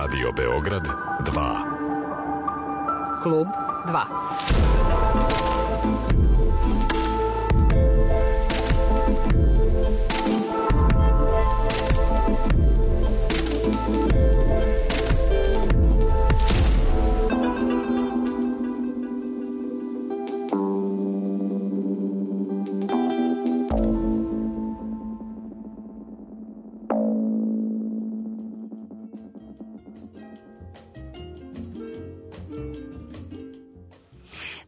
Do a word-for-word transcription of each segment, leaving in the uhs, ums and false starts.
Radio Beograd dva. Klub dva.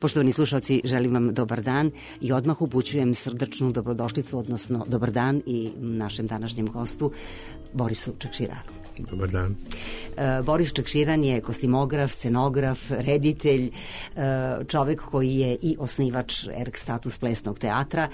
Poštovani slušalci, želim vam dobar dan i odmah upućujem srdačnu dobrodošlicu, odnosno dobar dan i našem današnjem gostu, Borisu Čakširanu. Dobar dan. Boris Čakširan je kostimograf, scenograf, reditelj, čovek koji je i osnivač Erg Status plesnog teatra,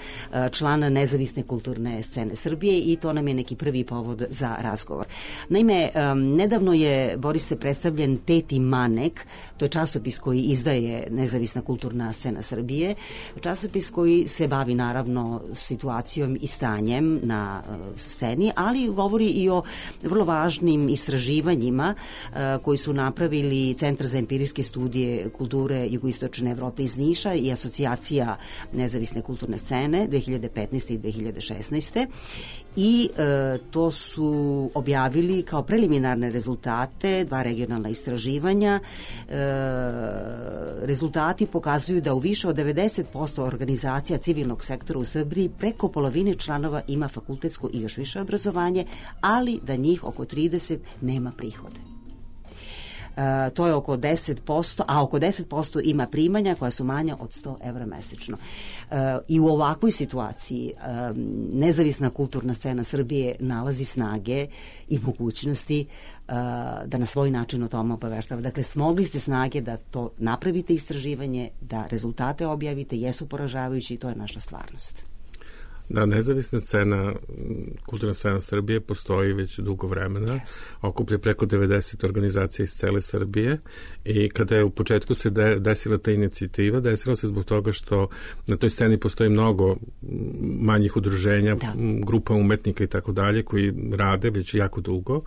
član nezavisne kulturne scene Srbije i to nam je neki prvi povod za razgovor. Naime, nedavno je Boris se predstavljen Peti Manek, to je časopis koji izdaje nezavisna kulturna scena Srbije, časopis koji se bavi naravno situacijom i stanjem na sceni, ali govori i o vrlo važnim istraživanjima uh, koji su napravili Centar za empirijske studije kulture Jugoistočne Evrope iz Niša i Asocijacija nezavisne kulturne scene dve hiljade petnaeste. i dve hiljade šesnaeste. I uh, to su objavili kao preliminarne rezultate, dva regionalna istraživanja. Uh, rezultati pokazuju da u više od devedeset posto organizacija civilnog sektora u Srbiji preko polovine članova ima fakultetsko i još više obrazovanje, ali da njih oko trideset nema prihode. Uh, to je oko deset posto, a oko deset posto ima primanja koja su manja od sto evra mesečno. Uh, I u ovakvoj situaciji um, nezavisna kulturna scena Srbije nalazi snage i mogućnosti uh, da na svoj način o tome obaveštava. Dakle, smogli ste snage da to napravite istraživanje, da rezultate objavite, jesu poražavajući i to je naša stvarnost. Da, nezavisna scena, kulturna scena Srbije postoji već dugo vremena, yes. Okuplja preko devedeset organizacija iz cele Srbije i kada je u početku se de, desila ta inicijativa, desila se zbog toga što na toj sceni postoji mnogo manjih udruženja, da. grupa umetnika i tako dalje koji rade već jako dugo,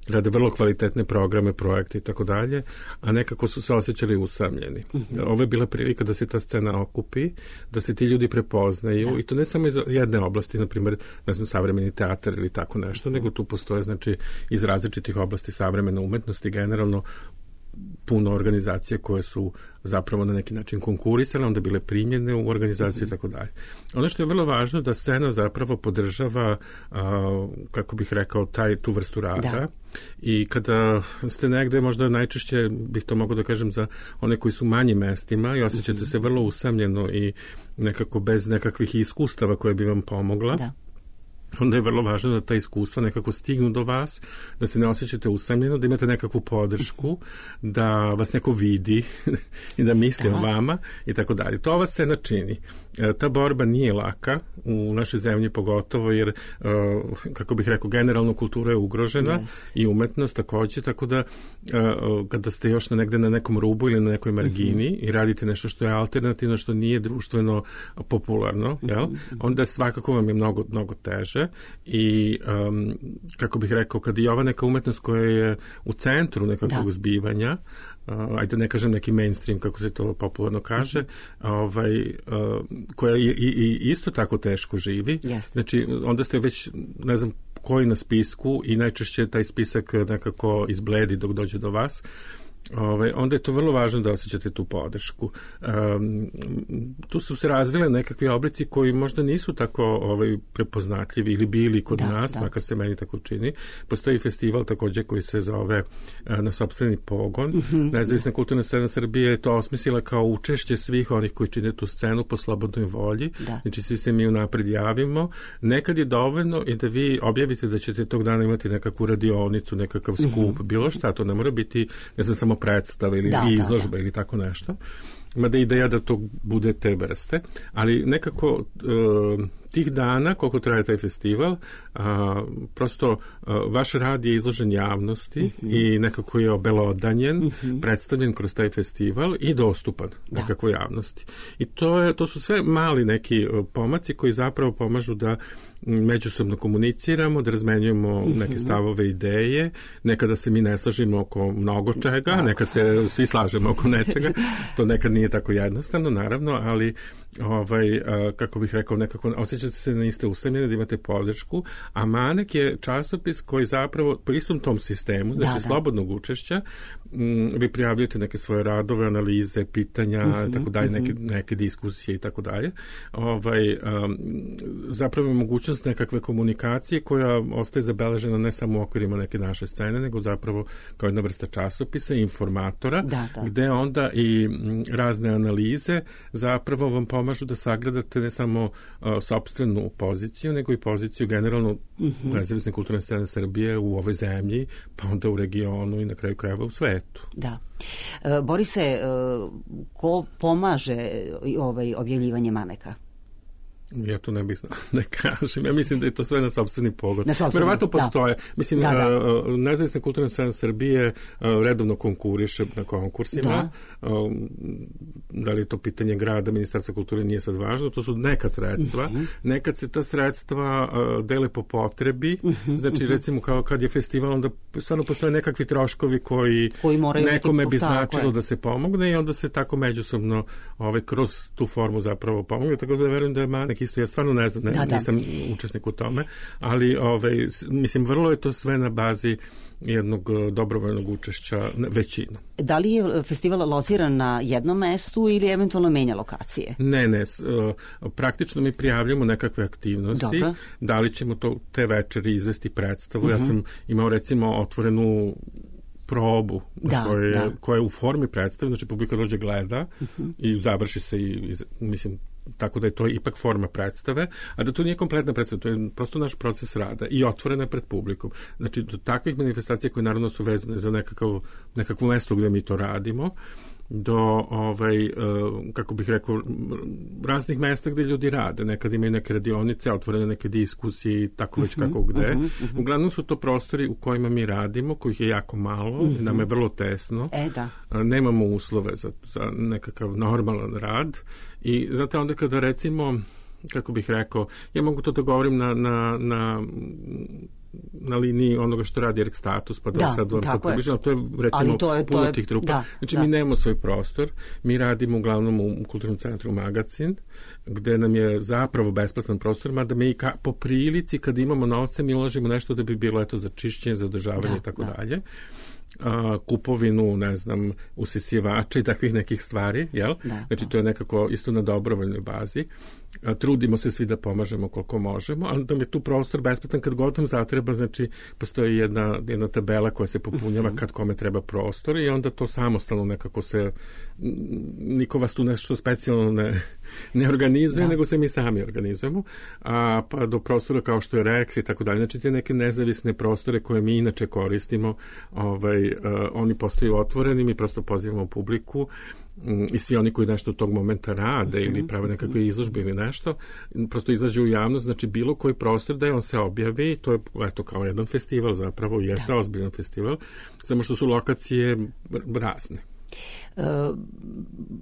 rade vrlo kvalitetne programe, projekte i tako dalje, a nekako su se osjećali usamljeni. Mm-hmm. Ovo je bila prilika da se ta scena okupi, da se ti ljudi prepoznaju, da. I to ne samo iz jedne oblasti, na primjer, ne znam, savremeni teatar ili tako nešto, mm-hmm. nego tu postoje, znači, iz različitih oblasti savremene umetnosti, generalno puno organizacije koje su zapravo na neki način konkurisale, onda bile primljene u organizaciju i tako dalje. Ono što je vrlo važno da scena zapravo podržava, a, kako bih rekao, taj, tu vrstu rada. Da. I kada ste negde, možda najčešće bih to mogao da kažem za one koji su manjim mestima i osjećate mm-hmm. se vrlo usamljeno i nekako bez nekakvih iskustava koje bi vam pomogla. Da. Onda je vrlo važno da ta iskustva nekako stignu do vas, da se ne osjećate usamljeno, da imate nekakvu podršku, da vas neko vidi i da misli Aha. o vama i tako dalje. To ova scena čini. E, ta borba nije laka u našoj zemlji pogotovo jer, e, kako bih rekao, generalno kultura je ugrožena yes. i umetnost takođe, tako da e, kada ste još na negde na nekom rubu ili na nekoj margini mm-hmm. i radite nešto što je alternativno, što nije društveno popularno, jel? Mm-hmm. onda svakako vam je mnogo, mnogo teže. I um, kako bih rekao, kad je ova neka umetnost koja je u centru nekakvog da. zbivanja, uh, ajde ne kažem neki mainstream kako se to popularno kaže, mm-hmm. ovaj, uh, koja i, i, i isto tako teško živi, yes. znači onda ste već, ne znam koji na spisku i najčešće taj spisak nekako izbledi dok dođe do vas. Ove, onda je to vrlo važno da osjećate tu podršku. Um, tu su se razvile nekakvi oblici koji možda nisu tako ovaj, prepoznatljivi ili bili kod da, nas, da. makar se meni tako čini. Postoji festival takođe koji se zove uh, Na sopstveni pogon. Mm-hmm. Nezavisna kulturna scena Srbije je to osmislila kao učešće svih onih koji čine tu scenu po slobodnoj volji. Da. Znači svi se mi unapred javimo. Nekad je dovoljno i da vi objavite da ćete tog dana imati nekakvu radionicu, nekakav skup, mm-hmm. bilo šta, to ne mora biti, ne znam, samo predstava ili da, izložba da, da. ili tako nešto. Mada ideja da to bude te vrste, ali nekako e, tih dana, koliko traje taj festival, a, prosto a, vaš rad je izložen javnosti mm-hmm. i nekako je obelodanjen, mm-hmm. predstavljen kroz taj festival i dostupan da. nekako javnosti. I to, je, to su sve mali neki pomaci koji zapravo pomažu da međusobno komuniciramo, da razmenjujemo neke stavove, ideje, nekada se mi ne slažemo oko mnogo čega, da. nekad se svi slažemo oko nečega, to nekad nije tako jednostavno, naravno, ali ovaj, kako bih rekao, nekako osjećate se da niste usamljeni, da imate podršku, a Manek je časopis koji zapravo po istom tom sistemu, znači da, da. slobodnog učešća, m, vi prijavljujete neke svoje radove, analize, pitanja, uh-huh, tako dalje, neke, neke diskusije i tako dalje. Ovaj, um, zapravo je mogućnost nekakve komunikacije koja ostaje zabeležena ne samo u okvirima neke naše scene, nego zapravo kao jedna vrsta časopisa, informatora, da, da. gde onda i m, razne analize zapravo vam pomažu da sagledate ne samo uh, sopstvenu poziciju, nego i poziciju generalno uh-huh. nezavisne kulturne scene Srbije u ovoj zemlji, pa onda u regionu i na kraju krajeva u svetu. Da. E, Borise, e, ko pomaže ovaj objavljivanje Maneka? Ja to ne bih znao da kažem. Ja mislim da je to sve na sopstveni pogled. Verovatno postoje. Da. Mislim, da, da. Uh, nezavisna kulturna scena Srbije uh, redovno konkuriše na konkursima. Da. Uh, da li je to pitanje grada, Ministarstva kulture nije sad važno. To su neka sredstva. Uh-huh. Nekad se ta sredstva uh, dele po potrebi. Uh-huh. Znači, recimo, kao kad je festival, onda stvarno postoje nekakvi troškovi koji, koji nekome bi značilo je. da se pomogne i onda se tako međusobno ovaj, kroz tu formu zapravo pomogne. Tako da verujem da je Manek isto, ja stvarno ne znam, ne, da, da. nisam učesnik u tome, ali ovaj, mislim, vrlo je to sve na bazi jednog dobrovoljnog učešća većina. Da li je festival lociran na jednom mestu ili eventualno menja lokacije? Ne, ne. Praktično mi prijavljamo nekakve aktivnosti. Dobro. Da li ćemo to te večeri izvesti predstavu? Uh-huh. Ja sam imao recimo otvorenu probu da, koja, je, da. koja je u formi predstave, znači publika dođe gleda uh-huh. i završi se i, i mislim tako da je to ipak forma predstave, a da to nije kompletna predstava, to je prosto naš proces rada i otvorena pred publikom. Znači, do takvih manifestacija koje naravno su vezane za nekakav, nekakvo mesto gde mi to radimo, do, ovaj, kako bih rekao, raznih mesta gde ljudi rade. Nekad imaju neke radionice, otvorene neke diskusije i tako već kako gde. Uh-huh, uh-huh. Uglavnom su to prostori u kojima mi radimo, kojih je jako malo, uh-huh. nam je vrlo tesno. E, da. Nemamo uslove za, za nekakav normalan rad i znate onda kada recimo, kako bih rekao, ja mogu to da govorim na, na, na na liniji onoga što radi Erg Status, pa da, da sad vam to približam, to je recimo to je, puno to je, tih trupa. Da, znači da. mi nemamo svoj prostor, mi radimo uglavnom u, u Kulturnom centru Magacin, gde nam je zapravo besplatan prostor, mada mi ka, po prilici kad imamo novce mi ulažimo nešto da bi bilo eto za čišćenje, za održavanje i tako dalje. Uh, kupovinu, ne znam, usisivača i takvih nekih stvari, jel? Da, znači, to je nekako isto na dobrovoljnoj bazi. Uh, trudimo se svi da pomažemo koliko možemo, ali da mi je tu prostor besplatan kad god vam zatreba, znači, postoji jedna, jedna tabela koja se popunjava uh-huh. kad kome treba prostor i onda to samostalno nekako se, niko vas tu nešto specijalno ne, ne organizuje, da. nego se mi sami organizujemo, a pa do prostora kao što je Rex i tako dalje. Znači, te neke nezavisne prostore koje mi inače koristimo, ovaj, uh, oni postaju otvoreni, mi prosto pozivamo publiku um, i svi oni koji nešto od tog momenta rade uh-huh. ili prave nekakve izložbe ili nešto, prosto izađu u javnost, znači bilo koji prostor da je on se objavi, to je eto kao jedan festival zapravo, jeste ozbiljan festival, samo što su lokacije razne. E,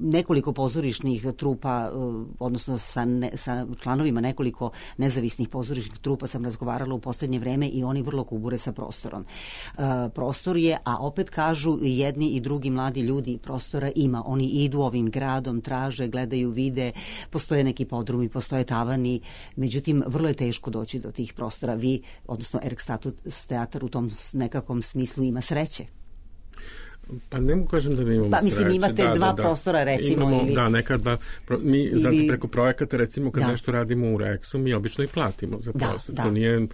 nekoliko pozorišnih trupa, odnosno sa, ne, sa članovima nekoliko nezavisnih pozorišnih trupa sam razgovarala u poslednje vreme i oni vrlo kubure sa prostorom. E, prostor je, a opet kažu jedni i drugi mladi ljudi, prostora ima. Oni idu ovim gradom, traže, gledaju, vide, postoje neki podrumi, postoje tavani, međutim, vrlo je teško doći do tih prostora. Vi, odnosno Erg Status teatar u tom nekakvom smislu ima sreće. Pa ne mogu kažem da mi imamo pa, mislim, sreće. imate da, dva da, da. prostora, recimo. Imamo, ili... Da, nekad dva. Mi, ili... znate, preko projekata, recimo, kad da. nešto radimo u Rexu, mi obično i platimo za prostor. Da, da. To nije,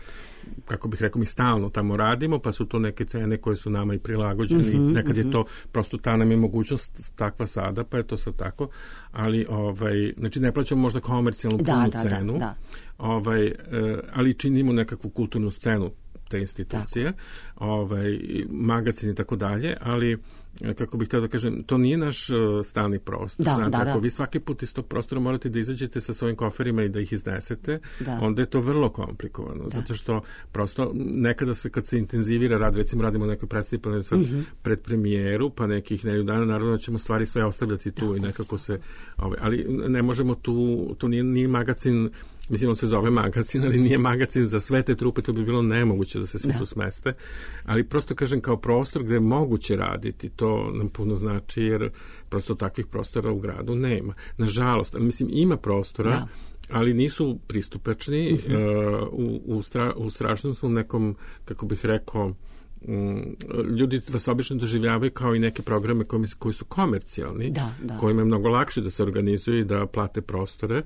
kako bih rekao, mi stalno tamo radimo, pa su to neke cene koje su nama i prilagođene. Uh-huh, nekad uh-huh. je to, prosto ta nam je mogućnost takva sada, pa je to sad tako. Ali, ovaj, znači, ne plaćamo možda komercijalnu da, punu da, cenu, da, da. Ovaj, ali činimo nekakvu kulturnu scenu. te institucije, ovaj, magazin i tako dalje, ali kako bih htio da kažem, to nije naš uh, stalni prostor. Da, Znate, da, ako da. vi svaki put iz tog prostora morate da izađete sa svojim koferima i da ih iznesete, Da. onda je to vrlo komplikovano, Da. zato što prosto nekada se, kad se intenzivira rad, recimo radimo nekoj predstavi, pa ne sad Mhm. pred premijeru, pa nekih nedelju dana, naravno da ćemo stvari sve ostavljati tu i nekako se, ovaj, ali ne možemo tu, to nije, nije magazin, mislim, on se zove magazin, ali nije magazin za sve te trupe, to bi bilo nemoguće da se svi Da. tu smeste, ali prosto kažem kao prostor gde je moguće raditi, to nam puno znači, jer prosto takvih prostora u gradu nema. Nažalost, ali mislim, ima prostora, Da. ali nisu pristupačni, Mhm. uh, u, u, stra, u strašnom su nekom, kako bih rekao, mm, ljudi vas obično doživljavaju kao i neke programe koji, koji su komercijalni, Da, da. kojima je mnogo lakše da se organizuju i da plate prostore,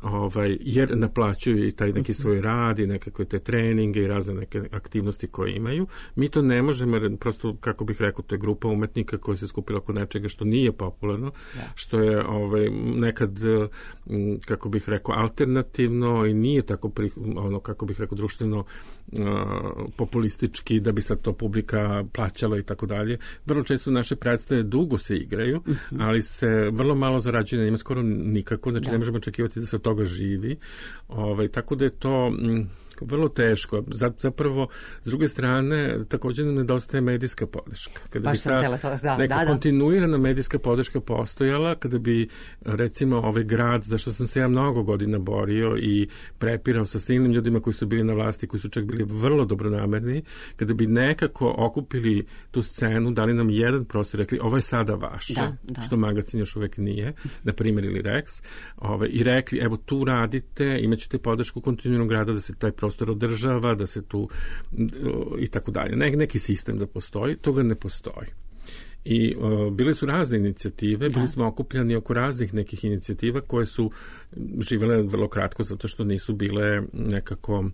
ovaj, jer naplaćuju i taj neki svoj rad i nekakve te treninge i razne neke aktivnosti koje imaju. Mi to ne možemo, jer prosto, kako bih rekao, to je grupa umetnika koja se skupila oko nečega što nije popularno, Da. što je ovaj, nekad, m, kako bih rekao, alternativno i nije tako, pri, ono, kako bih rekao, društveno uh, populistički, da bi sad to publika plaćala i tako dalje. Vrlo često naše predstave dugo se igraju, ali se vrlo malo zarađuje na njima, skoro nikako, znači Da. ne možemo očekivati da se od toga živi. Ovaj, tako da je to mm, vrlo teško. Zapravo, s druge strane, također nam nedostaje medijska podrška. Kada Baš bi sam ta htjela to, da, neka da, da. kontinuirana medijska podrška postojala, kada bi, recimo, ovaj grad, za što sam se ja mnogo godina borio i prepirao sa silnim ljudima koji su bili na vlasti, koji su čak bili vrlo dobronamerni, kada bi nekako okupili tu scenu, dali nam jedan prostor, rekli, ovo je sada vaše, Da, da. što magazin još uvek nije, na primjer, ili Rex, ovaj, i rekli, evo, tu radite, imaćete podršku kontinuiranog grada da se taj prostor održava, da se tu i tako dalje. Ne, neki sistem da postoji, toga ne postoji. I uh, bile su razne inicijative, bili smo okupljani oko raznih nekih inicijativa koje su živele vrlo kratko zato što nisu bile nekako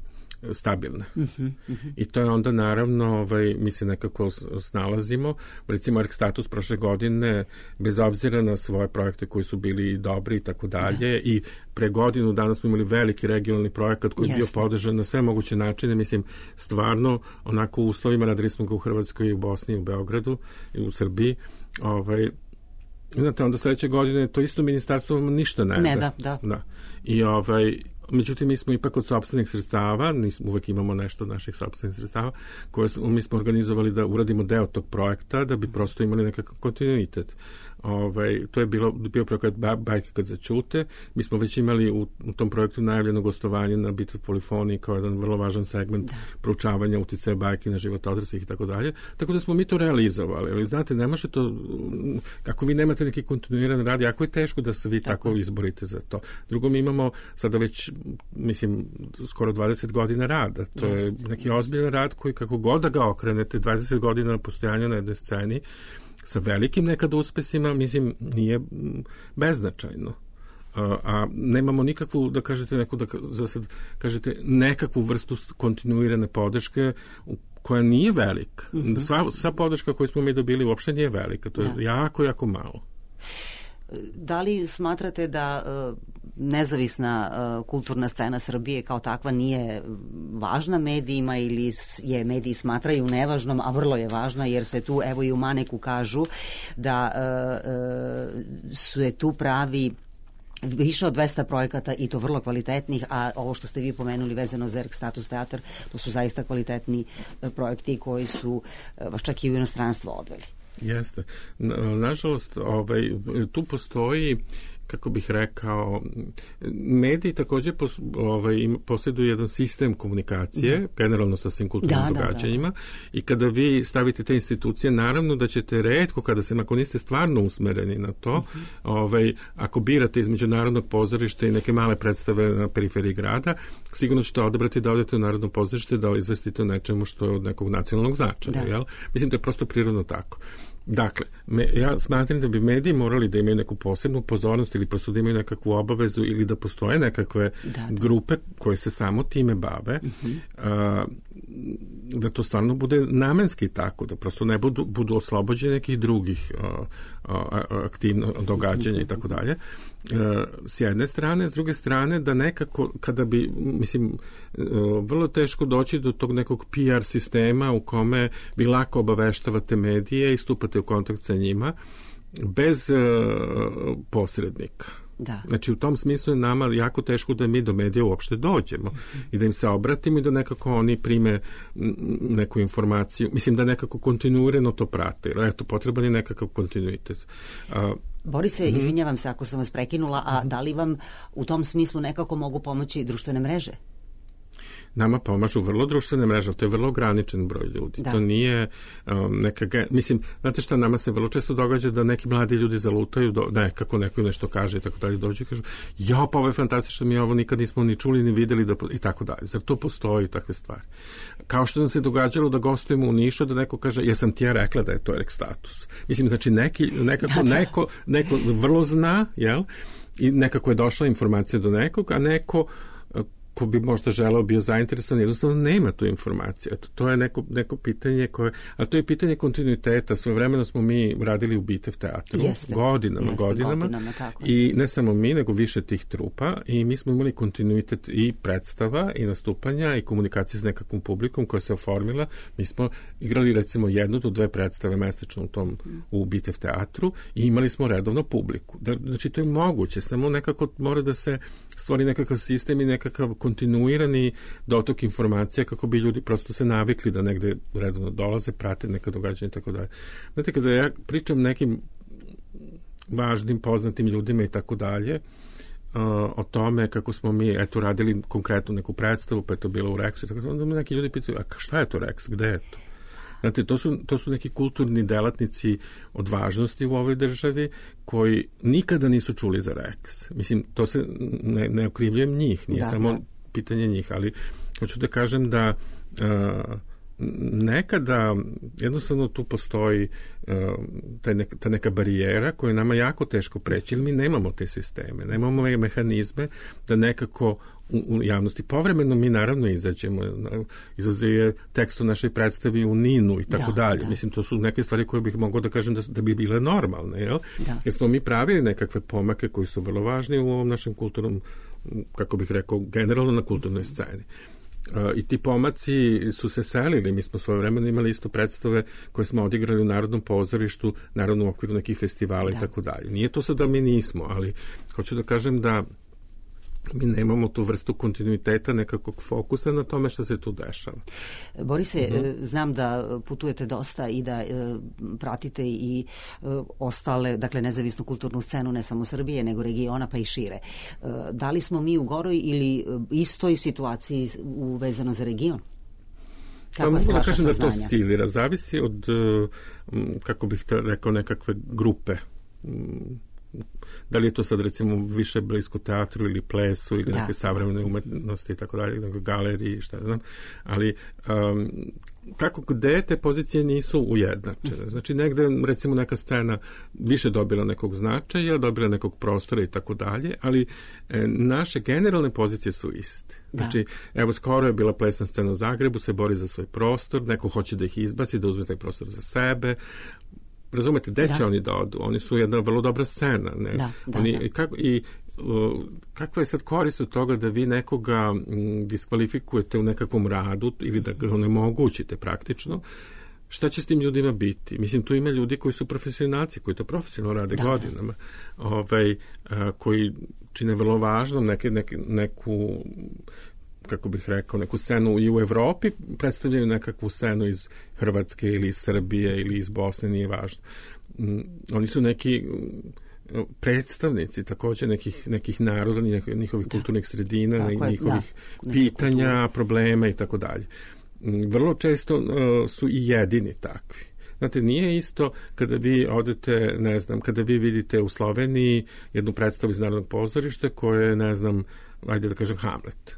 stabilne. Uh-huh, uh-huh. I to je onda naravno, ovaj, mi se nekako snalazimo. Recimo, Erk Status prošle godine, bez obzira na svoje projekte koji su bili dobri i tako dalje, i pre godinu danas smo imali veliki regionalni projekat koji je bio Jasne. podržan na sve moguće načine. Mislim, stvarno, onako u uslovima, radili smo ga u Hrvatskoj i u Bosni i u Beogradu i u Srbiji. Ovaj, znate, onda sledeće godine to isto ministarstvo ništa ne, Ne da. da, da. Da. I ovaj, međutim, mi smo ipak od sopstvenih sredstava, nismo, uvek imamo nešto od naših sopstvenih sredstava, koje smo, mi smo organizovali da uradimo deo tog projekta, da bi prosto imali nekakav kontinuitet. Ovaj, to je bilo, bio projekat Bajke kad začute. Mi smo već imali u, u tom projektu najavljeno gostovanje na Bitvi polifoniji kao jedan vrlo važan segment da. proučavanja uticaja bajke na život odraslih i tako dalje. Tako da smo mi to realizovali. Ali znate, ne može to, ako vi nemate neki kontinuiran rad, jako je teško da se vi tako, tako izborite za to. Drugo, mi imamo sada već, mislim, skoro dvadeset godina rada. To je neki ozbiljan rad koji, kako god da ga okrenete, dvadeset godina postojanja na jednoj sceni, sa velikim nekad uspesima, mislim, nije beznačajno. A, a nemamo nikakvu, da kažete, neku, da za sad kažete, nekakvu vrstu kontinuirane podrške koja nije velika. Mm-hmm. Sva, sva podrška koju smo mi dobili uopšte nije velika. To je da. jako, jako malo. Da li smatrate da uh, nezavisna uh, kulturna scena Srbije kao takva nije važna medijima ili je mediji smatraju nevažnom, a vrlo je važna, jer se tu, evo i u Maneku kažu da uh, uh, su je tu pravi više od dvesta projekata i to vrlo kvalitetnih, a ovo što ste vi pomenuli vezano za Erk Status teatar, to su zaista kvalitetni uh, projekti koji su uh, vas čak i u inostranstvo odveli. Jeste. Nažalost, ovaj, tu postoji, kako bih rekao, mediji također pos, ovaj, posjeduju jedan sistem komunikacije, da. generalno sa svim kulturnim da, događanjima, da, da, da. I kada vi stavite te institucije, naravno da ćete retko, kada se, ako niste stvarno usmereni na to, uh-huh. ovaj, ako birate između Narodnog pozorišta i neke male predstave na periferiji grada, sigurno ćete odabrati da odete u Narodno pozorište, da izvestite o nečemu što je od nekog nacionalnog značaja. Da. Jel? Mislim, to je prosto prirodno tako. Dakle, me, ja smatram da bi mediji morali da imaju neku posebnu pozornost ili prosto da imaju nekakvu obavezu ili da postoje nekakve da, da. grupe koje se samo time bave. Uh-huh. Uh, da to stvarno bude namenski tako, da prosto ne budu, budu oslobođeni nekih drugih uh, uh, aktivno događanja i tako dalje. S jedne strane, s druge strane, da nekako, kada bi, mislim, uh, vrlo teško doći do tog nekog P R sistema u kome vi lako obaveštavate medije i stupate u kontakt sa njima bez uh, posrednika. Da. Znači, u tom smislu je nama jako teško da mi do medija uopšte dođemo mm-hmm. i da im se obratimo i da nekako oni prime neku informaciju. Mislim da nekako kontinuirano to prate. Eto, potreban je nekakav kontinuitet. A, Borise, mm-hmm. izvinjavam se ako sam vas prekinula, a da li vam u tom smislu nekako mogu pomoći društvene mreže? Nama pomažu vrlo društvene mreže, to je vrlo ograničen broj ljudi. Da. To nije um, neka... Mislim, znate šta, nama se vrlo često događa da neki mladi ljudi zalutaju, do, nekako neko nešto kaže i tako dalje, dođu i kažu, ja, pa ovo je fantastično, mi ovo nikad nismo ni čuli, ni videli da, i tako dalje. Zar to postoji, takve stvari? Kao što nam se događalo da gostujemo u Nišu, da neko kaže, jesam ti ja rekla da je to Erk status. Mislim, znači, neki, nekako, da, da. Neko, neko vrlo zna, jel? I nekako je došla informacija do nekog, a neko ko bi možda želeo bio zainteresovan, jednostavno nema tu informaciju. Eto, to je neko, neko pitanje koje, a to je pitanje kontinuiteta. Svojevremeno smo mi radili u Bitev teatru. Jeste, godinama, jeste, godinama. godinama tako. I ne samo mi, nego više tih trupa i mi smo imali kontinuitet i predstava i nastupanja i komunikacije s nekakvom publikom koja se oformila. Mi smo igrali recimo jednu do dve predstave mesečno u tom u Bitev teatru i imali smo redovno publiku. Da, znači to je moguće, samo nekako mora da se stvori nekakav sistem i nekakav kontinuirani dotok informacija kako bi ljudi prosto se navikli da negde redovno dolaze, prate neka događanja i tako dalje. Znate, kada ja pričam nekim važnim, poznatim ljudima i tako dalje, o tome kako smo mi, eto, radili konkretno neku predstavu, pa je to bilo u Reksu i tako dalje, onda me neki ljudi pitaju, a šta je to Reks, gde je to? Znate, to su, to su neki kulturni delatnici od važnosti u ovoj državi koji nikada nisu čuli za Reks. Mislim, to se ne, ne okrivljujem njih, nije da, samo da. pitanje njih, ali hoću da kažem da uh, nekada jednostavno tu postoji uh, ta, neka, ta neka barijera koja je nama jako teško preći, jer mi nemamo te sisteme, nemamo mehanizme da nekako u, u javnosti. Povremeno mi naravno izađemo, izlaze je tekst u našoj predstavi u Ninu i tako da, dalje. Da. Mislim, to su neke stvari koje bih mogao da kažem da, da bi bile normalne, jel? Da. Jer smo mi pravili nekakve pomake koji su vrlo važni u ovom našem kulturnom, kako bih rekao, generalno na kulturnoj sceni. I ti pomaci su se selili. Mi smo svoje vremena imali isto predstave koje smo odigrali u Narodnom pozorištu, naravno u okviru nekih festivala da. i tako dalje. Nije to sad da mi nismo, ali hoću da kažem da mi nemamo tu vrstu kontinuiteta, nekakvog fokusa na tome što se tu dešava. Borise, mm-hmm. znam da putujete dosta i da e, pratite i e, ostale, dakle, nezavisnu kulturnu scenu, ne samo Srbije, nego regiona, pa i šire. E, da li smo mi u goroj ili istoj situaciji uvezano za region? Pa mogu da kažem saznanja? Da to oscilira, zavisi od, kako bih rekao, nekakve grupe. Da li je to sad recimo više blisko teatru ili plesu ili da, neke savremene umetnosti i tako dalje, nego galeriji, šta znam, ali um, kako gde te pozicije nisu ujednačene. Znači negde recimo neka scena više dobila nekog značaja, dobila nekog prostora i tako dalje, ali e, naše generalne pozicije su iste. Znači, da. evo, skoro je bila plesna scena u Zagrebu, se bori za svoj prostor, neko hoće da ih izbaci, da uzme taj prostor za sebe. Razumete, gde će da. oni da odu? Oni su jedna vrlo dobra scena. Ne? Da, da, oni, da. I, kako, i uh, kakva je sad korist od toga da vi nekoga m, diskvalifikujete u nekakvom radu ili da ga onemogućite praktično? Šta će s tim ljudima biti? Mislim, tu ima ljudi koji su profesionalci, koji to profesionalno rade da, godinama, da. Ovaj, a, koji čine vrlo važno neke, neke, neku kako bih rekao, neku scenu i u Evropi, predstavljaju nekakvu scenu iz Hrvatske ili iz Srbije ili iz Bosne, nije važno. Mm, oni su neki predstavnici također nekih, nekih naroda, njihovih da. kulturnih sredina, tako njihovih da. pitanja, kulture. problema i tako dalje. Vrlo često uh, su i jedini takvi. Znate, nije isto kada vi odete, ne znam, kada vi vidite u Sloveniji jednu predstavu iz Narodnog pozorišta koja je, ne znam, ajde da kažem, Hamlet.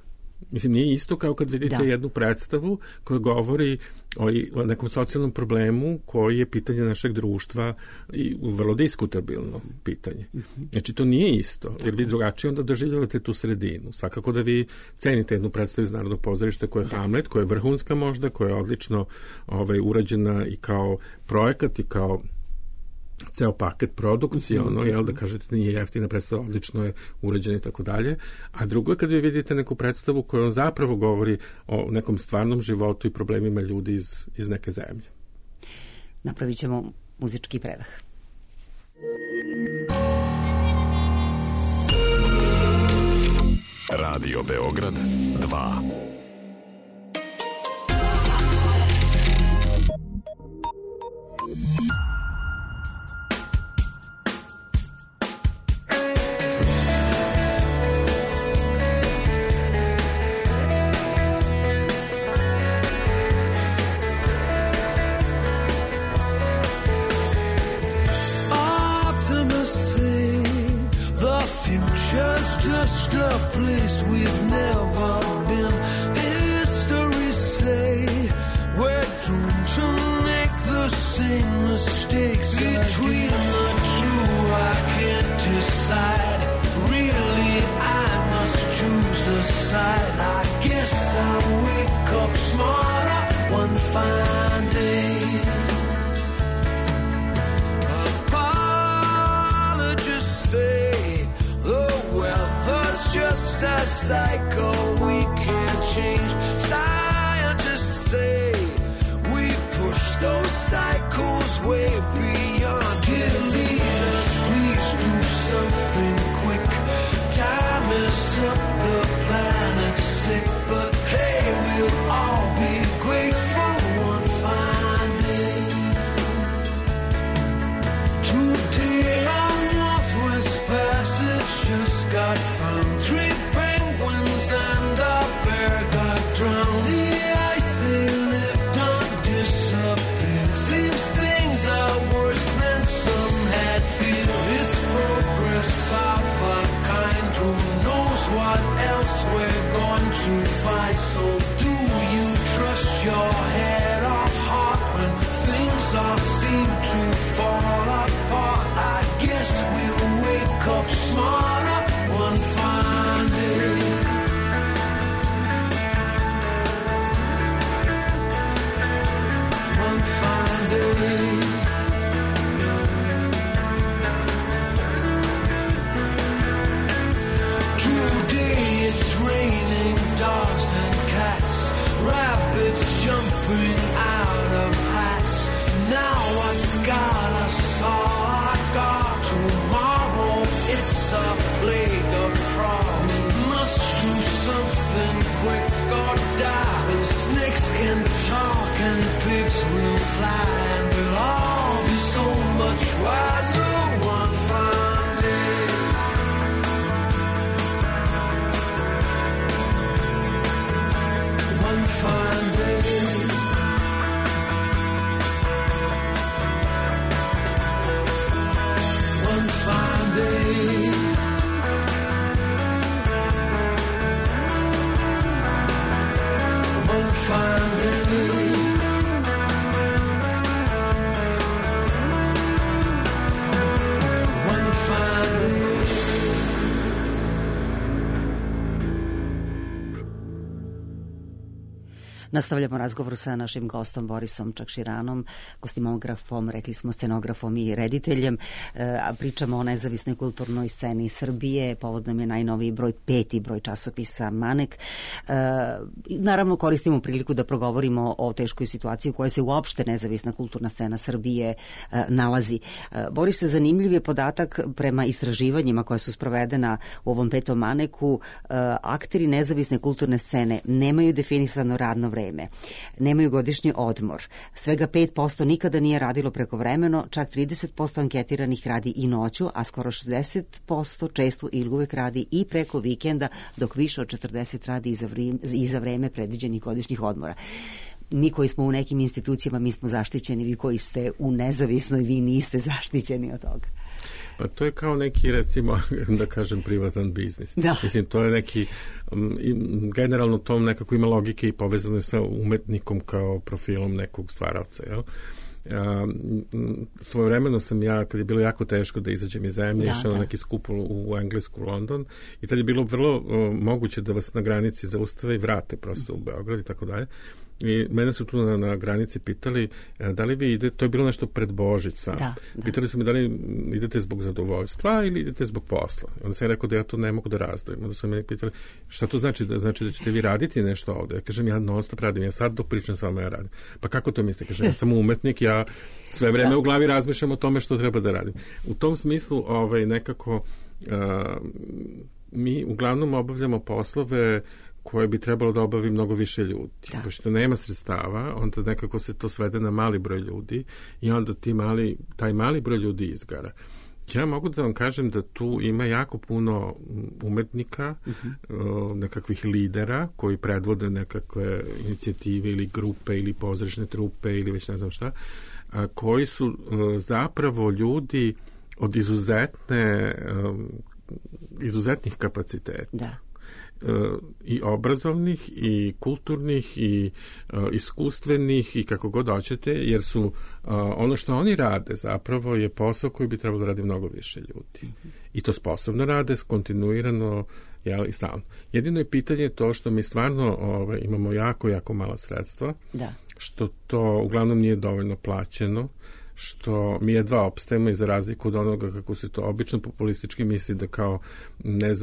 Mislim, nije isto kao kad vidite da. jednu predstavu koja govori o, o nekom socijalnom problemu koji je pitanje našeg društva i vrlo diskutabilno pitanje. Znači, to nije isto, jer vi drugačije onda doživljavate tu sredinu. Svakako da vi cenite jednu predstavu iz Narodnog pozorišta koja je Hamlet, koja je vrhunska možda, koja je odlično ovaj, urađena i kao projekat i kao ceo paket produkcije, ono, jel, da kažete nije jeftina predstava, odlično je urađena i tako dalje. A drugo je kad vi vidite neku predstavu koja on zapravo govori o nekom stvarnom životu i problemima ljudi iz, iz neke zemlje. Napravit ćemo muzički predah. Radio Beograd dva. Just a place we've never been. History say we're doomed to make the same mistakes. Between the two I can't decide. Really I must choose a side. I guess I'll wake up smarter one fine day. Apologists say just a cycle we can't change. Scientists say we push those cycles way beyond. Dear leaders, please do something quick. Time is up, the planet's sick. But hey, we'll all be grateful one fine day. Today our Northwest Passage just got found. Three penguins and a bear got drowned. The ice they lived on disappeared. Seems things are worse than some had feared. It's progress of a kind. Who knows what else we're going to find? So do you trust your head or heart when things all seem to fall apart? I guess we'll wake up smarter one fine day. One fine day. Today it's raining dogs and cats, rabbits jumping out of hats. Now what's got us all our guard? Tomorrow it's a plague of frogs. Must do something quick or die. And snakes can talk and pigs will fly. And we'll all be so much wiser one fine day. One fine day. One fine day. One fine day. One fine day. Nastavljamo razgovor sa našim gostom Borisom Čakširanom, kostimografom, rekli smo scenografom i rediteljem, a pričamo o nezavisnoj kulturnoj sceni Srbije. Povod nam je najnoviji broj peti broj časopisa Manek. Naravno koristimo priliku da progovorimo o teškoj situaciji u kojoj se uopšte nezavisna kulturna scena Srbije nalazi. Boris, zanimljiv je podatak prema istraživanjima koja su sprovedena u ovom petom Maneku. Akteri nezavisne kulturne scene nemaju definisano radno vreme. Nemaju godišnji odmor. Svega pet posto nikada nije radilo prekovremeno, čak trideset posto anketiranih radi i noću, a skoro šezdeset posto često ili uvek radi i preko vikenda, dok više od četrdeset radi i za vreme, i za vreme predviđenih godišnjih odmora. mi koji smo u nekim institucijama, mi smo zaštićeni, vi koji ste u nezavisnoj, vi niste zaštićeni od toga. Pa to je kao neki, recimo, da kažem, privatan biznis. Da. Mislim, to je neki, um, generalno to nekako ima logike i povezano je sa umetnikom kao profilom nekog stvaravca, jel? Um, svojevremeno sam ja, kad je bilo jako teško da izađem iz zemlje, da, išao da. na neki skup u, u Englesku, London, i tad je bilo vrlo uh, moguće da vas na granici zaustave i vrate prosto u Beograd i tako dalje. I mene su tu na, na granici pitali da li vi idete, to je bilo nešto pred Božić sam. Da, da. Pitali su mi da li idete zbog zadovoljstva ili idete zbog posla. Onda sam rekao da ja to ne mogu da razdvojim. Onda su me pitali šta to znači, da znači da ćete vi raditi nešto ovde. Ja kažem, ja non stop radim, ja sad dok pričam s vama ja radim. Pa kako to mislite? Kažem, ja sam umetnik, ja sve vreme da. u glavi razmišljam o tome što treba da radim. U tom smislu ovaj, nekako uh, mi uglavnom obavljamo poslove koje bi trebalo da obavi mnogo više ljudi. Da. Pošto nema sredstava, onda nekako se to svede na mali broj ljudi i onda ti mali, taj mali broj ljudi izgara. Ja mogu da vam kažem da tu ima jako puno umetnika, uh-huh. nekakvih lidera koji predvode nekakve inicijative ili grupe ili pozorišne trupe ili već ne znam šta, a, koji su uh, zapravo ljudi od izuzetne um, izuzetnih kapaciteta. Da. I obrazovnih i kulturnih i uh, iskustvenih i kako god hoćete, jer su uh, ono što oni rade zapravo je posao koji bi trebalo da radi mnogo više ljudi. Mm-hmm. I to sposobno rade, kontinuirano, jel, i stalno. Jedino je pitanje to što mi stvarno ove, imamo jako, jako mala sredstva, da. Što to uglavnom nije dovoljno plaćeno, što mi jedva opstajemo i za razliku od onoga kako se to obično populistički misli da kao, ne,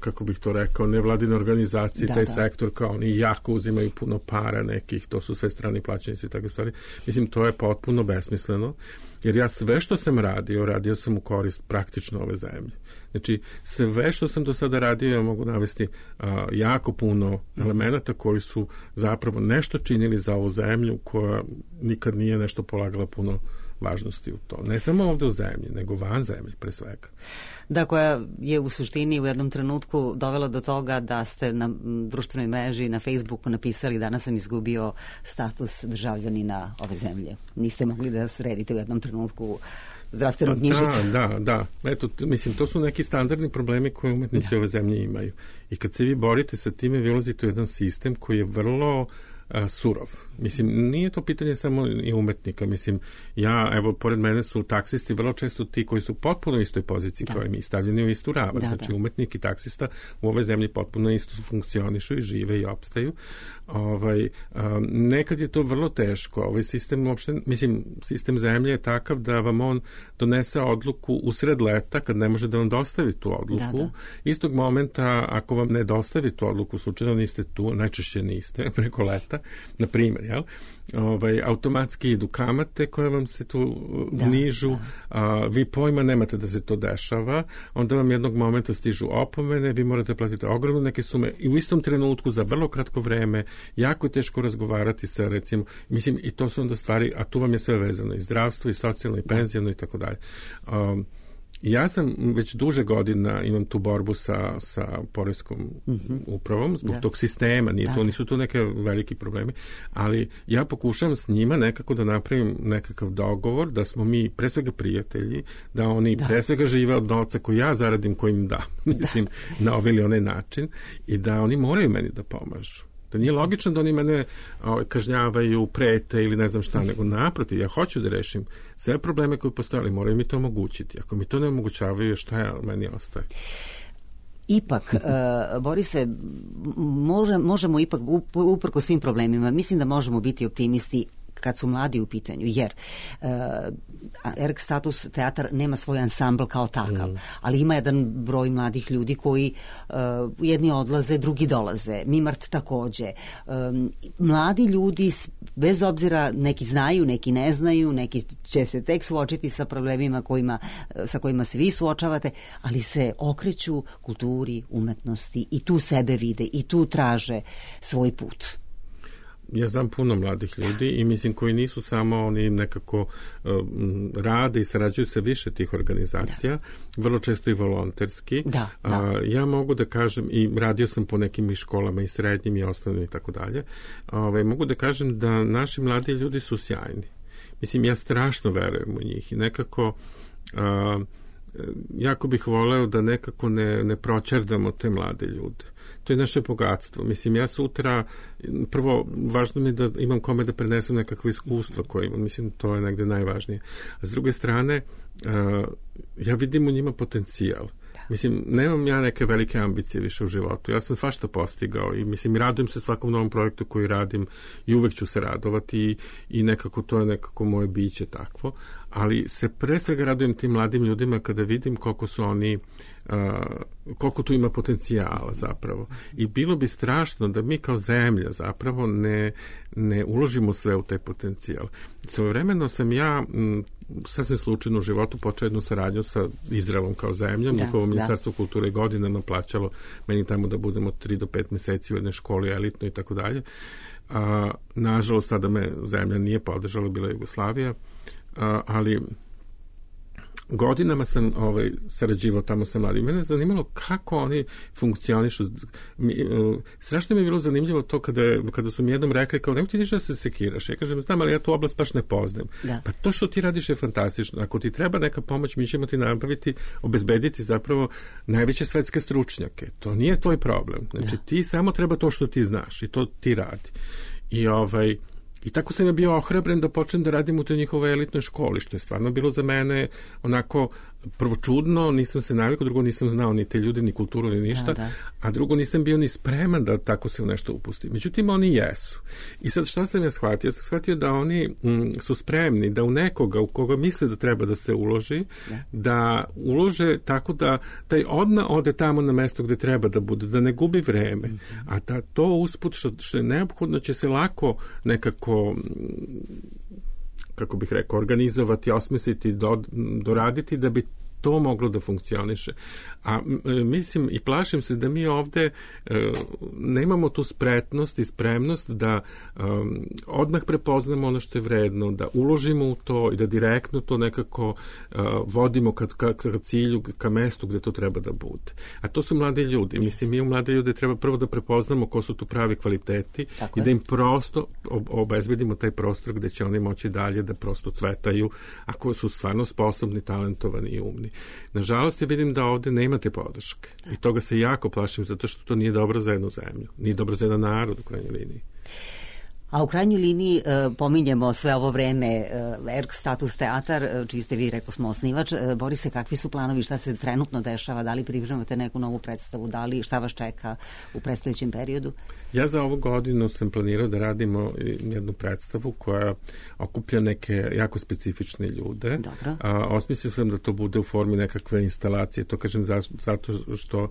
kako bih to rekao, nevladine organizacije, da, taj da. sektor kao oni jako uzimaju puno para nekih, to su sve strani plaćenici i takve stvari. Mislim, to je potpuno besmisleno, jer ja sve što sam radio, radio sam u korist praktično ove zemlje. Znači, sve što sam do sada radio, ja mogu navesti a, jako puno elemenata koji su zapravo nešto činili za ovu zemlju koja nikad nije nešto polagala puno važnosti u to. Ne samo ovde u zemlji, nego van zemlje, pre svega. Da, koja je u suštini u jednom trenutku dovela do toga da ste na društvenoj mreži, na Facebooku napisali danas sam izgubio status državljanina ove zemlje. Niste mogli da sredite u jednom trenutku zdravstvenu knjižicu. Da, da, da. Eto, mislim, to su neki standardni problemi koje umetnici da. ove zemlje imaju. I kad se vi borite sa time, vi ulazite u jedan sistem koji je vrlo a, surov. Mislim, nije to pitanje samo i umetnika. Mislim, ja, evo, pored mene su taksisti vrlo često ti koji su potpuno u istoj poziciji da. kao i mi, stavljeni u istu ravan. Da, znači, da. umetnik i taksista u ovoj zemlji potpuno isto funkcionišu i žive i opstaju. Ovaj, um, nekad je to vrlo teško. Ovaj sistem uopšte, mislim, sistem zemlje je takav da vam on donese odluku usred leta kad ne može da vam dostavi tu odluku. Da, da. Istog momenta, ako vam ne dostavi tu odluku, slučajno niste tu, najčešće niste, preko leta, na primjer, jel? Ovaj, automatski idu kamate koje vam se tu da, nižu, da. A, vi pojma nemate da se to dešava, onda vam jednog momenta stižu opomene, vi morate platiti ogromne neke sume i u istom trenutku za vrlo kratko vreme jako je teško razgovarati sa, recimo, mislim, i to su onda stvari, a tu vam je sve vezano, i zdravstvo, i socijalno, i penzijano, i tako dalje. Um, Ja sam već duže godina imam tu borbu sa, sa poreskom mm-hmm. upravom zbog da. tog sistema, nije da. to, nisu to neke veliki problemi, ali ja pokušavam s njima nekako da napravim nekakav dogovor da smo mi pre svega prijatelji, da oni da. pre svega žive od novca koji ja zaradim, koji im dam, mislim, da. na ovaj ili onaj način, i da oni moraju meni da pomažu. Da nije logično da oni mene o, kažnjavaju, prete ili ne znam šta, nego naprotiv, ja hoću da rešim sve probleme koje postoje, ali moraju mi to omogućiti. Ako mi to ne omogućavaju, šta ja, meni ostaje? Ipak, uh, Borise, može, možemo ipak, uprko svim problemima, mislim da možemo biti optimisti kad su mladi u pitanju, jer uh, Erg Status teatar nema svoj ansambl kao takav, mm. ali ima jedan broj mladih ljudi koji uh, jedni odlaze, drugi dolaze. Mimart takođe. Um, mladi ljudi, bez obzira, neki znaju, neki ne znaju, neki će se tek suočiti sa problemima kojima, sa kojima se vi suočavate, ali se okreću kulturi, umetnosti i tu sebe vide i tu traže svoj put. ja znam puno mladih ljudi i mislim koji nisu samo oni nekako uh, rade i sarađuju sa više tih organizacija, da. Vrlo često i volonterski. Da, da. Uh, ja mogu da kažem, i radio sam po nekim i školama i srednjim i osnovnim i tako dalje, ovaj, mogu da kažem da naši mladi ljudi su sjajni. Mislim, ja strašno verujem u njih i nekako uh, jako bih voleo da nekako ne, ne proćerdamo te mlade ljude. To je naše bogatstvo. Mislim, ja sutra, prvo, važno mi je da imam kome da prenesem nekakve iskustva koje imam. Mislim, to je negde najvažnije. A s druge strane, uh, ja vidim u njima potencijal. Mislim, nemam ja neke velike ambicije više u životu. Ja sam svašta postigao i mislim, radujem se svakom novom projektu koji radim i uvek ću se radovati i, i nekako to je nekako moje biće takvo. Ali se pre svega radujem tim mladim ljudima kada vidim koliko su oni, uh, koliko tu ima potencijala zapravo. I bilo bi strašno da mi kao zemlja zapravo ne, ne uložimo sve u taj potencijal. Svojevremeno sam ja m, sasvim slučajno u životu počeo jednu saradnju sa Izraelom kao zemljom. Da, njihovo ministarstvo kulture godinama plaćalo meni tamo da budemo tri do pet meseci u jednoj školi elitno i tako dalje. Nažalost, tada me zemlja nije podržala, bila je Jugoslavija. Uh, ali godinama sam ovaj, sarađivao tamo sa mladim. Mene je zanimalo kako oni funkcionišu. Mi, uh, strašno mi je bilo zanimljivo to kada, kada su mi jednom rekli kao, nemoj ti ništa da se sekiraš. Ja kažem, znam, ali ja tu oblast baš ne poznajem. Da. Pa to što ti radiš je fantastično. Ako ti treba neka pomoć, mi ćemo ti nabaviti, obezbediti zapravo najveće svetske stručnjake. To nije tvoj problem. Znači, da. Ti samo treba to što ti znaš i to ti radi. I ovaj... I tako sam ja bio ohrabren da počnem da radim u toj njihovoj elitnoj školi, što je stvarno bilo za mene onako prvo čudno, nisam se navikao, drugo nisam znao ni te ljude, ni kulturu, ni ništa, da, da. A drugo nisam bio ni spreman da tako se u nešto upusti. Međutim, oni jesu. I sad šta sam ja shvatio? Ja sam shvatio da oni m, su spremni da u nekoga u koga misle da treba da se uloži, da, da ulože tako da taj odmah ode tamo na mesto gde treba da bude, da ne gubi vreme. Mm-hmm. A da to usput što, što je neophodno će se lako nekako, kako bih rekao, organizovati, osmisliti, do, doraditi da bi to moglo da funkcioniše. A mislim i plašim se da mi ovde e, nemamo tu spretnost i spremnost da e, odmah prepoznamo ono što je vredno, da uložimo u to i da direktno to nekako e, vodimo ka, ka, ka cilju, ka mestu gde to treba da bude. A to su mladi ljudi. Yes. Mislim, mi u mlade ljude treba prvo da prepoznamo ko su tu pravi kvaliteti. Tako i da im prosto ob, obezbedimo taj prostor gde će oni moći dalje da prosto cvetaju ako su stvarno sposobni, talentovani i umni. Nažalost, ja vidim da ovde nemate podrške. I toga se jako plašim, zato što to nije dobro za jednu zemlju. Nije dobro za jedan narod u krajnjoj liniji. A u krajnjoj liniji e, pominjemo sve ovo vreme e, Erg Status teatar, e, čiji ste vi, rekao smo, osnivač. E, Borise, kakvi su planovi, šta se trenutno dešava, da li pripremate neku novu predstavu, da li šta vas čeka u predstojećem periodu? Ja za ovu godinu sam planirao da radimo jednu predstavu koja okuplja neke jako specifične ljude. Dobro. A, osmislio sam da to bude u formi nekakve instalacije. To kažem za, zato što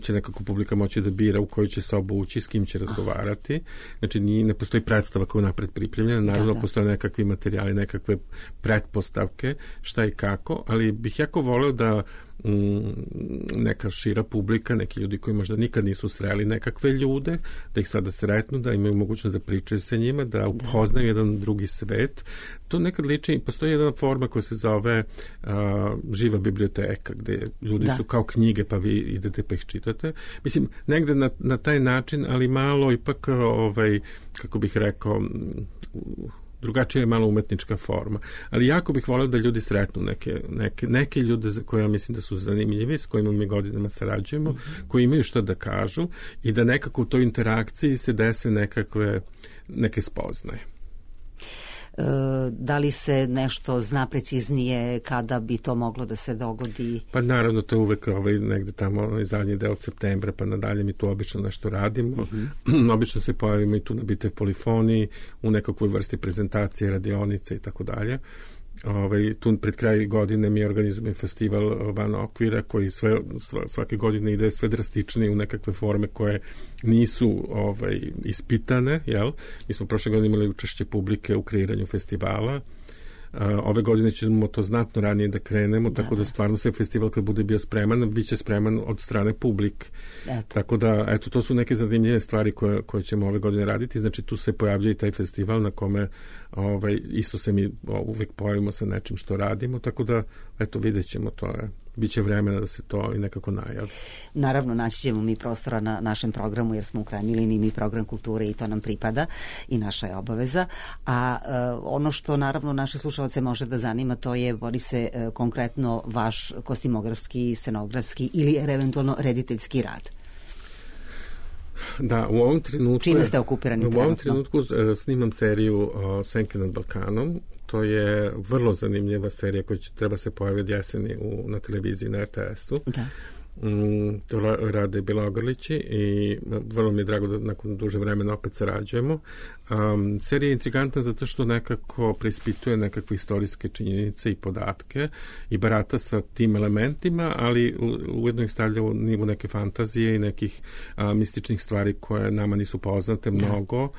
će nekako publika moći da bira u koju će sobu ući, s kim će razgovarati. Aha. Znači, nije, ne postoji predstava koja je napred pripremljena. Naravno, da, da. Postoje nekakvi materijali, nekakve pretpostavke, šta i kako, ali bih jako voleo da neka šira publika, neki ljudi koji možda nikad nisu sreli nekakve ljude, da ih sada sretnu, da imaju mogućnost da pričaju sa njima, da upoznaju jedan drugi svet. To nekad liči, postoji jedna forma koja se zove uh, živa biblioteka, gde ljudi da. su kao knjige, pa vi idete pa ih čitate. Mislim, negde na, na taj način, ali malo ipak, ovaj, kako bih rekao, drugačija je malo umetnička forma. Ali jako bih volio da ljudi sretnu neke, neke, neke ljude za koje ja mislim da su zanimljivi, s kojima mi godinama sarađujemo, mm-hmm. koji imaju što da kažu i da nekako u toj interakciji se dese nekakve, neke spoznaje. Da li se nešto zna preciznije kada bi to moglo da se dogodi? Pa naravno, to je uvek ovaj, negde tamo ovaj zadnji deo septembra, pa nadalje mi tu obično nešto radimo. Mm-hmm. Obično se pojavimo i tu na bitoj polifoniji, u nekakvoj vrsti prezentacije, radionice i tako dalje. Ovaj, tu pred kraj godine mi organizujemo festival Van okvira koji sve, svake godine ide sve drastičnije u nekakve forme koje nisu ovaj, ispitane, jel? Mi smo prošle godine imali učešće publike u kreiranju festivala. ove godine ćemo to znatno ranije da krenemo, Da, tako da da. stvarno se festival kad bude bio spreman, bit će spreman od strane publike. Eto. Tako da, eto, to su neke zanimljive stvari koje, koje ćemo ove godine raditi. Znači, tu se pojavljuje i taj festival na kome ovaj, isto se mi uvek pojavimo sa nečim što radimo, tako da, eto, vidjet ćemo to. Je. Biće vremena da se to i nekako najavi. Naravno, naći ćemo mi prostora na našem programu, jer smo u krajnjoj liniji mi program kulture i to nam pripada i naša je obaveza. A e, ono što naravno naše slušalce može da zanima, to je, Borise, e, konkretno vaš kostimografski, scenografski ili eventualno rediteljski rad. Da, u ovom trenutku... Čime ste okupirani u trenutno? U ovom trenutku uh, snimam seriju uh, Senke nad Balkanom. To je vrlo zanimljiva serija koja će, treba se pojaviti od jeseni u, na televiziji na er te esu. Da. Mm, to rade Bilogrlići i vrlo mi je drago da nakon duže vremena opet sarađujemo. Um, serija je intrigantna zato što nekako preispituje nekakve istorijske činjenice i podatke i barata sa tim elementima, ali ujedno ih stavlja u nivu neke fantazije i nekih a, mističnih stvari koje nama nisu poznate mnogo,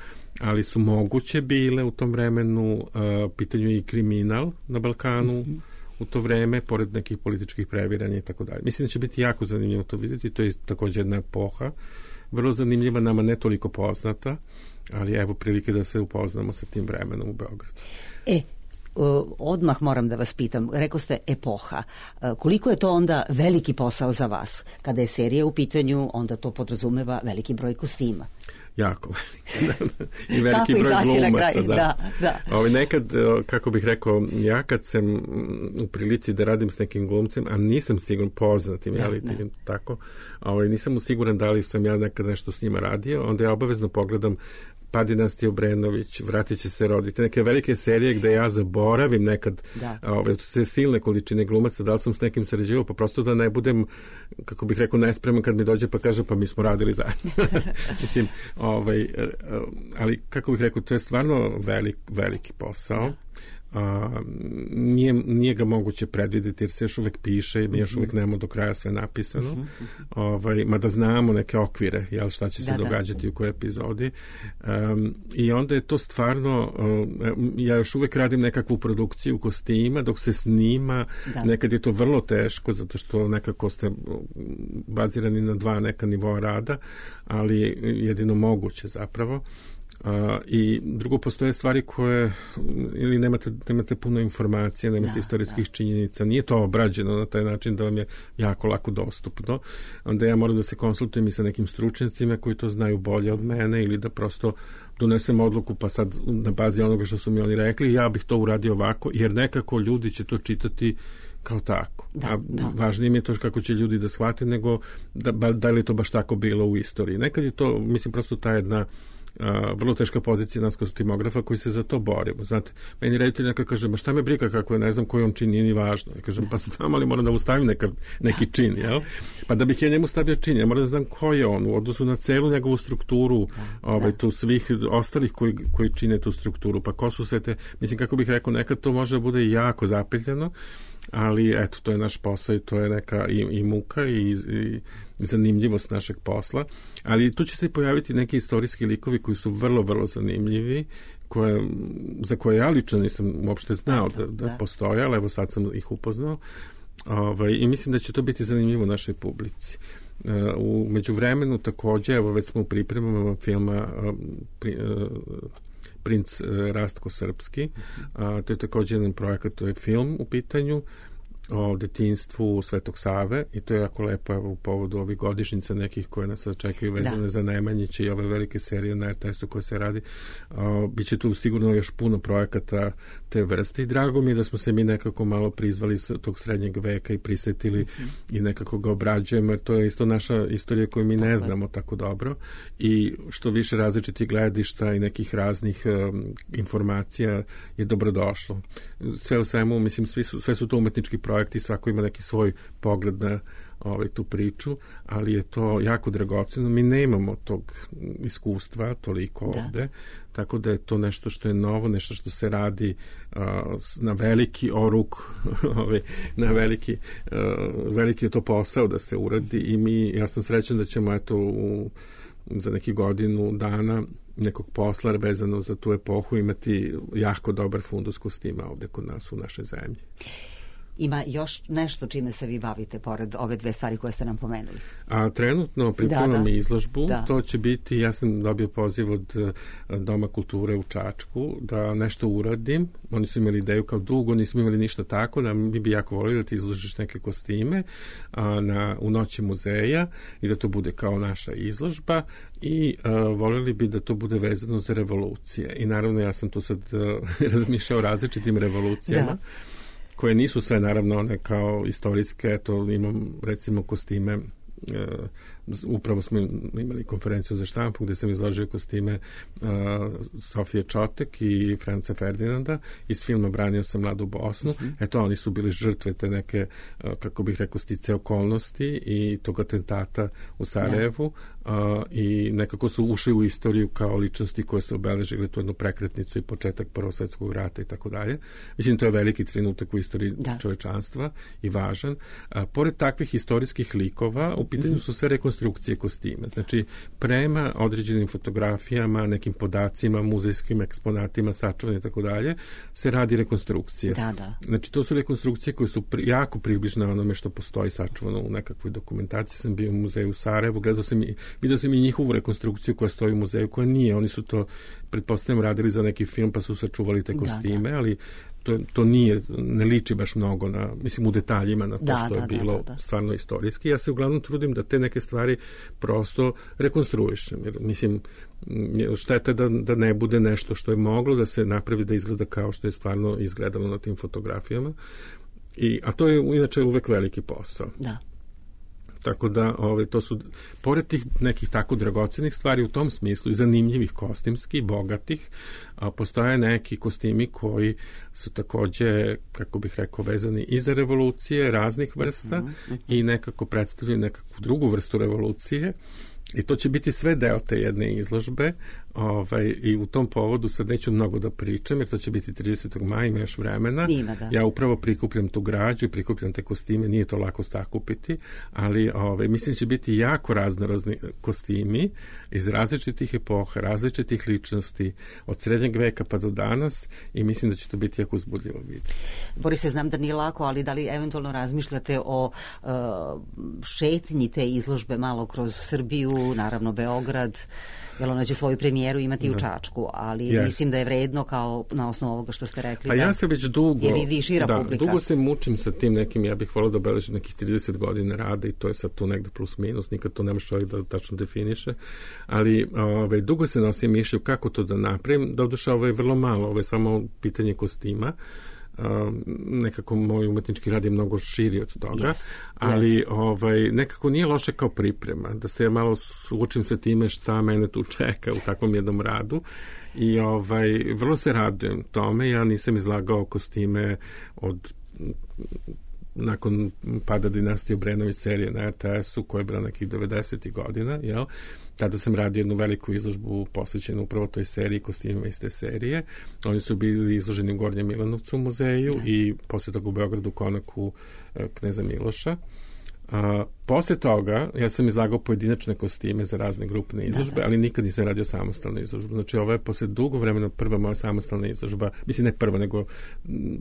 ali su moguće bile u tom vremenu. A, pitanju je i kriminal na Balkanu, mm-hmm. u to vreme, pored nekih političkih previranja i tako dalje. Mislim da će biti jako zanimljivo to vidjeti, to je također jedna epoha, vrlo zanimljiva, nama ne toliko poznata, ali evo prilike da se upoznamo sa tim vremenom u Beogradu. E, odmah moram da vas pitam, rekao ste epoha, koliko je to onda veliki posao za vas? Kada je serija u pitanju, onda to podrazumeva veliki broj kostima. Jako veliki. I veliki Kako broj glumaca. Kraj, da. da, da. Ovi nekad, kako bih rekao, ja kad sam u prilici da radim s nekim glumcem, a nisam siguran poznatim, da, ali da. tako, ovaj, nisam siguran da li sam ja nekad nešto s njima radio, onda ja obavezno pogledam Padi Nastija Obrenović, Vratit će se roditi, neke velike serije gde ja zaboravim nekad ove, sve silne količine glumaca, da li sam s nekim sređivao, pa prosto da ne budem, kako bih rekao, nespreman kad mi dođe pa kaže pa mi smo radili zajedno. Mislim, ovaj, ali kako bih rekao, to je stvarno velik, veliki posao. A, nije, nije ga moguće predvidjeti jer se još uvek piše i mi još uvek nemamo do kraja sve napisano, ovaj, mada znamo neke okvire, jel, šta će se da, događati da. u kojoj epizodi, um, i onda je to stvarno, um, ja još uvek radim nekakvu produkciju kostima dok se snima, da. nekad je to vrlo teško zato što nekako ste bazirani na dva neka nivoa rada, ali jedino moguće zapravo. Uh, i drugo, postoje stvari koje ili nemate, nemate puno informacija, nemate da, istorijskih da. činjenica, nije to obrađeno na taj način da vam je jako lako dostupno, onda ja moram da se konsultujem i sa nekim stručnjacima koji to znaju bolje od mene ili da prosto donesem odluku pa sad na bazi onoga što su mi oni rekli ja bih to uradio ovako, jer nekako ljudi će to čitati kao tako. Da, a da. važnije mi je to kako će ljudi da shvate nego da, da li je to baš tako bilo u istoriji. Nekad je to, mislim, prosto ta jedna Uh, vrlo teška pozicija nas kostimografa koji se za to borimo. Znate, meni reditelj neka kaže, ma šta me briga kako je, ne znam koji on čin, nije ni važno. Ja kažem, pa znam, ali moram da mu stavim neka, neki čin, jel? Pa da bih ja njemu stavio čin, ja moram da znam ko je on u odnosu na celu njegovu strukturu, ovaj, tu svih ostalih koji, koji čine tu strukturu. Pa ko su sve te, mislim, kako bih rekao, nekad to može da bude jako zapeljeno, ali eto, to je naš posao i to je neka i, i muka i, i zanimljivost našeg posla, ali tu će se pojaviti neki istorijski likovi koji su vrlo, vrlo zanimljivi, koje, za koje ja lično nisam uopšte znao da, da, da postoje, ali evo sad sam ih upoznao, ovaj, i mislim da će to biti zanimljivo našoj publici. U međuvremenu takođe, evo već smo u pripremama filma pri, Princ Rastko Srpski, a, to je takođe jedan projekat, to je film u pitanju o detinjstvu Svetog Save i to je jako lepo, evo, u povodu ovih godišnjica nekih koje nas čekaju vezane da. za Nemanjiće i ove velike serije na er te esu koje se radi. O, biće tu sigurno još puno projekata te vrste i drago mi je da smo se mi nekako malo prizvali iz tog srednjeg veka i prisetili mm-hmm. i nekako ga obrađujemo, jer to je isto naša istorija koju mi ne znamo tako dobro i što više različitih gledišta i nekih raznih um, informacija je dobrodošlo. Sve u svemu, mislim, svi su, sve su to umetnički projekti, svako ima neki svoj pogled na ovaj, tu priču, ali je to jako dragoceno. Mi nemamo tog iskustva toliko da. ovde, tako da je to nešto što je novo, nešto što se radi uh, na veliki oruk, ovaj, na veliki, uh, veliki je to posao da se uradi i mi, ja sam srećan da ćemo eto u za neki godinu dana nekog posla vezano za tu epohu imati jako dobar fundus kostima ovde kod nas u našoj zemlji. Ima još nešto čime se vi bavite pored ove dve stvari koje ste nam pomenuli? A trenutno pripremam da, da. izložbu, da. To će biti, ja sam dobio poziv od Doma kulture u Čačku da nešto uradim. Oni su imali ideju kao dugo, nismo imali ništa tako, da mi bi jako volili da ti izložiš neke kostime a, na, u noći muzeja i da to bude kao naša izložba i a, voljeli bi da to bude vezano za revolucije. I naravno ja sam tu sad a, razmišljao o različitim revolucijama. Da. Koje nisu sve naravno one kao istorijske, eto imam recimo kostime, e, upravo smo imali konferenciju za štampu gde sam izložio kostime e, Sofije Čotek i Franca Ferdinanda iz filma Branio sam mladu Bosnu. Mm-hmm. Eto, oni su bili žrtve te neke, e, kako bih rekao, stice okolnosti i tog atentata u Sarajevu. Uh, i nekako su ušli u istoriju kao ličnosti koje su obeležile tu jednu prekretnicu i početak Prvog svjetskog rata i tako dalje. Mislim, to je veliki trenutak u istoriji da. čovečanstva i važan. Uh, pored takvih istorijskih likova, u pitanju mm-hmm. su sve rekonstrukcije kostima. Znači, prema određenim fotografijama, nekim podacima, muzejskim eksponatima, sačuvanjem i tako dalje, se radi rekonstrukcije. Da, da. Znači, to su rekonstrukcije koje su pri, jako približne onome što postoji sačuvano u nekakvoj dokumentaciji. Sam bio u muzeju u Sarajevu, gledao sam i vidio sam i njihovu rekonstrukciju koja stoji u muzeju, koja nije. Oni su to, pretpostavljam, radili za neki film, pa su sačuvali te kostime, da, da. ali to, to nije, ne liči baš mnogo na, mislim, u detaljima na to da, što da, je bilo da, da, da. stvarno istorijski. Ja se uglavnom trudim da te neke stvari prosto rekonstruišem. Jer, mislim, šteta da, da ne bude nešto što je moglo da se napravi da izgleda kao što je stvarno izgledalo na tim fotografijama. I, a to je inače uvek veliki posao. Da. Tako da, ove, to su, pored tih nekih tako dragocenih stvari u tom smislu i zanimljivih kostimskih, bogatih, a, postoje neki kostimi koji su takođe, kako bih rekao, vezani i za revolucije raznih vrsta uh-huh, uh-huh. i nekako predstavljaju nekakvu drugu vrstu revolucije. I to će biti sve deo te jedne izložbe ovaj, i u tom povodu sad neću mnogo da pričam jer to će biti tridesetog maja, ima još vremena. Ima, da. Ja upravo prikupljam tu građu i prikupljam te kostime, nije to lako sakupiti, ali ovaj, mislim će biti jako raznorazni kostimi iz različitih epoha, različitih ličnosti, od srednjeg veka pa do danas i mislim da će to biti jako uzbudljivo vidjeti. Borise, znam da nije lako, ali da li eventualno razmišljate o uh, šetnji te izložbe malo kroz Srbiju, naravno Beograd, jer ona će svoju premijeru imati da. u Čačku, ali yes. mislim da je vredno kao na osnovu ovoga što ste rekli. Pa da ja se već dugo, je vidi šira da, publika. dugo se mučim sa tim nekim, ja bih volio da obeležim nekih trideset godina rada i to je sad tu negde plus minus, nikad to nemaš čovjek da tačno definiše, ali ove, dugo se nosim mišlju kako to da napravim, da oduša ovo je vrlo malo, ovo je samo pitanje kostima. Uh, nekako moj umetnički rad je mnogo širi od toga, yes, ali yes. Ovaj, nekako nije loše kao priprema, da se ja malo suočim sa time šta mene tu čeka u takvom jednom radu i ovaj, vrlo se radujem tome, ja nisam izlagao kostime od nakon pada dinastije Obrenović serije na er te esu koja je bila nekih devedesetih godina, jel? Tada sam radio jednu veliku izložbu posvećenu upravo toj seriji, kostimima iz te serije. Oni su bili izloženi u Gornjem Milanovcu u muzeju da. i posle toga u Beogradu konaku Kneza Miloša. A, posle toga ja sam izlagao pojedinačne kostime za razne grupne izložbe, da, da. ali nikad nisam radio samostalnu izložbu. Znači ovo je posle dugo vremena prva moja samostalna izložba, mislim ne prva, nego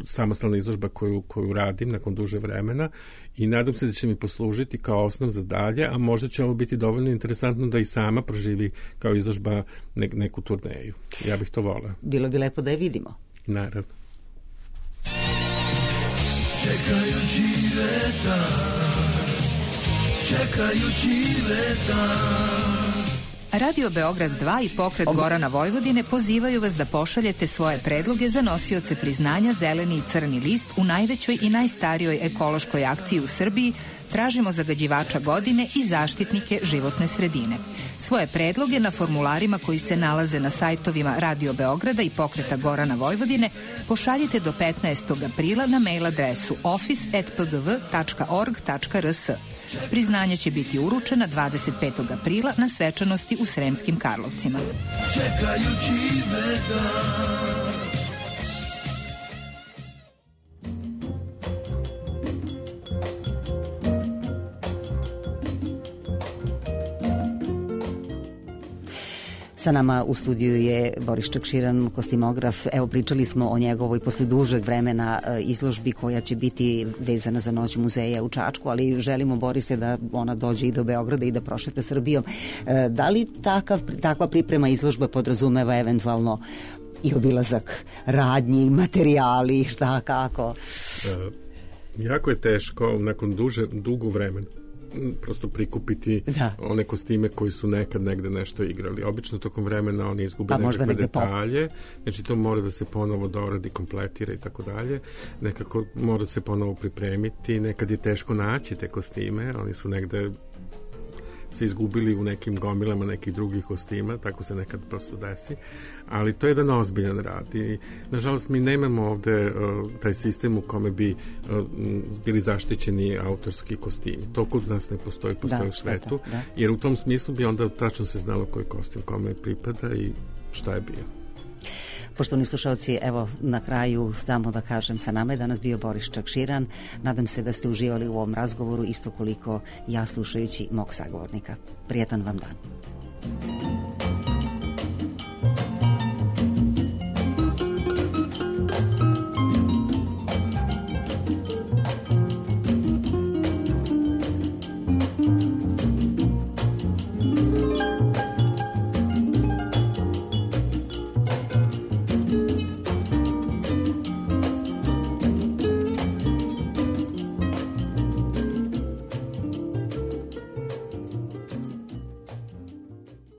samostalna izložba koju, koju radim nakon duže vremena i nadam se da će mi poslužiti kao osnov za dalje, a možda će ovo biti dovoljno interesantno da i sama proživi kao izložba ne, neku turneju. Ja bih to voleo. Bilo bi lepo da je vidimo. Naravno. Čekajući leta, čekajući leta. Radio Beograd dva i Pokret Gorana Vojvodine pozivaju vas da pošaljete svoje predloge za nosioce priznanja Zeleni i Crni list u najvećoj i najstarijoj ekološkoj akciji u Srbiji. Tražimo zagađivača godine i zaštitnike životne sredine. Svoje predloge na formularima koji se nalaze na sajtovima Radio Beograda i Pokreta Gorana Vojvodine pošaljite do petnaestog aprila na mail adresu office at p g v tačka org tačka r s. Priznanja će biti uručena dvadeset petog aprila na svečanosti u Sremskim Karlovcima. Čekajući veda. Sa nama u studiju je Boris Čakširan, kostimograf. Evo, pričali smo o njegovoj posle dužeg vremena izložbi koja će biti vezana za Noć muzeja u Čačku, ali želimo, Borise, da ona dođe i do Beograda i da prošeta Srbijom. Da li takav, takva priprema izložba podrazumeva eventualno i obilazak radnji, materijali, šta, kako? E, jako je teško nakon duže, dugo vremena prosto prikupiti da. one kostime koji su nekad negde nešto igrali. Obično tokom vremena oni izgube pa, nekakve detalje, znači to mora da se ponovo doradi, kompletira i tako dalje. Nekako mora da se ponovo pripremiti, nekad je teško naći te kostime, oni su negde se izgubili u nekim gomilama nekih drugih kostima, tako se nekad prosto desi, ali to je jedan ozbiljan rad i nažalost mi nemamo ovde uh, taj sistem u kome bi uh, bili zaštićeni autorski kostimi. To kod nas ne postoji, postoji da, u svetu, da, da. Jer u tom smislu bi onda tačno se znalo koji kostim kome pripada i šta je bio. Poštovani slušalci, evo na kraju samo da kažem, sa nama je danas bio Boris Čakširan. Nadam se da ste uživali u ovom razgovoru isto koliko ja slušajući mog sagovornika. Prijetan vam dan.